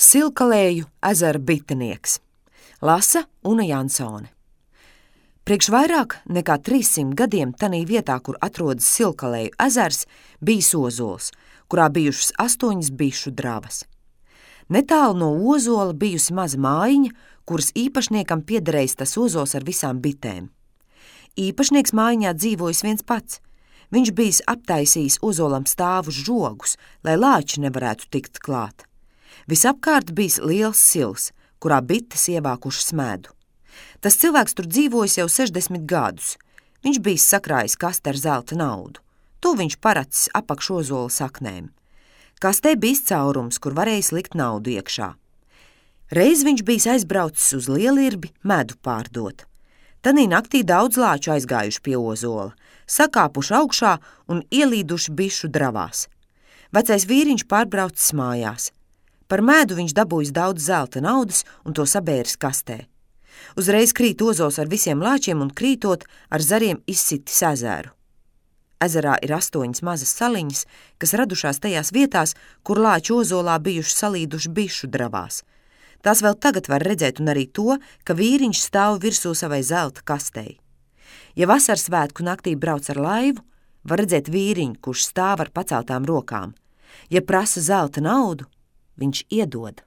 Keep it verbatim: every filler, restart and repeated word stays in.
Silkalēju ezera bitinieks. Lasa Una Jansone. Priekš vairāk nekā trīssimt gadiem tanī vietā, kur atrodas Silkalēju ezers, bijis ozols, kurā bijušas astoņas bišu dravas. Netālu no ozola bijusi maza mājiņa, kuras īpašniekam piederējis tas ozols ar visām bitēm. Īpašnieks mājiņā dzīvojis viens pats. Viņš bijis aptaisījis ozolam stāvus žogus, lai lāči nevarētu tikt klāt. Visapkārt bijis liels sils, kurā bites ievākušas medu. Tas cilvēks tur dzīvojis jau sešdesmit gadus. Viņš bijis sakrājis kasti ar zelta naudu. To viņš paracis apakš ozola saknēm. Kastē bijis caurums, kur varēja likt naudu iekšā. Reiz viņš bijis aizbraucis uz Lielirbi medu pārdot. Tanī naktī daudz lāču aizgājuši pie ozola, sakāpuši augšā un ielīduši bišu dravās. Vecais vīriņš pārbraucis mājās. Par mēdu viņš dabūjis daudz zelta naudas un to sabēris kastē. Uzreiz krīt ozols ar visiem lāčiem un krītot ar zariem izsitis ezeru. Ezerā ir astoņas mazas saliņas, kas radušās tajās vietās, kur lāči ozolā bijuši salīduši bišu dravās. Tās vēl tagad var redzēt un arī to, ka vīriņš stāv virsū savai zelta kastei. Ja vasaras svētku naktī brauc ar laivu, var redzēt vīriņu, kurš stāv ar paceltām rokām. Ja prasa zelta naudu, viņš iedod.